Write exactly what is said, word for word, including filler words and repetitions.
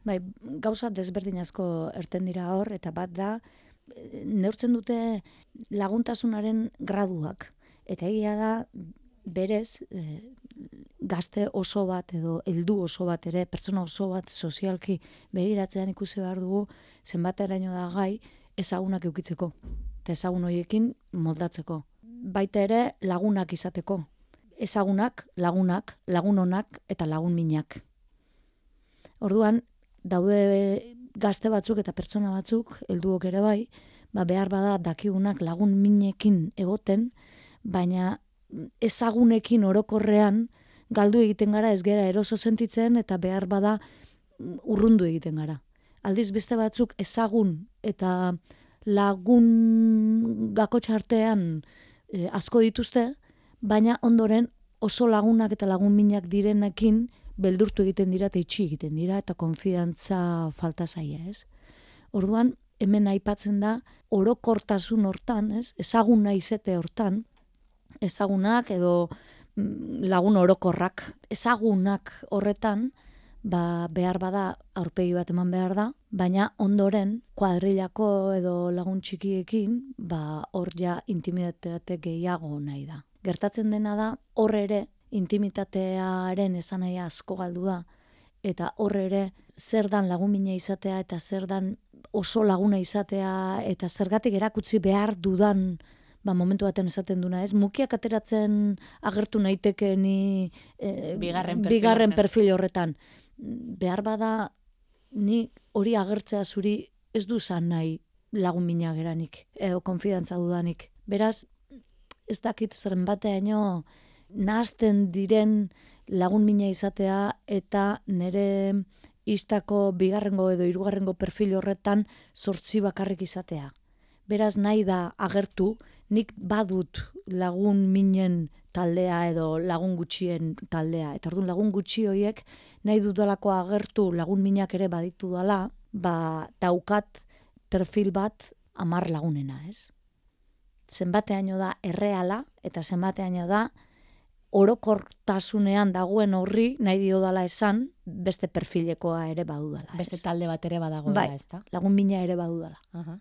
Bai, gauza desberdin asko erten dira hor, eta bat da, neurtzen dute laguntasunaren graduak. Eta egia da, berez, e, gazte oso bat edo heldu oso bat ere, pertsona oso bat sozialki begiratzean ikusi behar dugu, zenbateraino da gai ezagunak eukitzeko. Eta ezagun horiekin moldatzeko. Baita ere lagunak izateko. Ezagunak, lagunak, lagun onak eta lagun minak. Orduan, daude gazte batzuk eta pertsona batzuk, helduok ere bai, ba behar bada dakigunak lagun minekin egoten, baina ezagunekin orokorrean galdu egiten gara, ez gera eroso sentitzen eta behar bada urrundu egiten gara. Aldiz beste batzuk ezagun eta lagun gakotxartean e, asko dituzte, baina ondoren oso lagunak eta lagun minak direnekin beldurtu egiten dira eta itxi egiten dira eta konfidantza falta zaia, ez? Orduan, hemen aipatzen da orokortasun hortan, ez? Ezaguna izete hortan, ezagunak edo lagun orokorrak, ezagunak horretan, ba, behar bada aurpegi bat eman behar da, baina ondoren kuadrilako edo lagun txikiekin, ba, hor ja intimitate gehiago nahi da. Gertatzen dena da, hor ere intimitatearen esanahia asko galdu da, eta hor ere zer dan lagun mina izatea eta zer dan oso laguna izatea eta zergatik erakutsi behar dudan, ba, momentu baten esaten duna, ez? Mukiak ateratzen agertu naiteke ni e, bigarren, perfil, bigarren horretan. perfil horretan. Behar bada ni hori agertzea zuri ez du zan nahi lagun mina geranik, edo konfidantza dudanik. Beraz, ez dakit zeren bateaino nahazten diren lagun mina izatea eta nire istako bigarrengo edo hirugarrengo perfil horretan zortzi bakarrik izatea. Beraz nahi da agertu, nik badut lagun minen taldea edo lagun gutxien taldea. Eta orduan lagun gutxi horiek nahi dudalako agertu lagun minak ere baditu dala, ba daukat perfil bat hamar lagunena, ez? Zenbateaino da erreala eta zenbateaino da orokortasunean dagoen horri nahi dio dala esan beste perfilekoa ere badudala. Beste talde bat ere badagoela, bai, ezta? lagun mina ere badudala. Aha.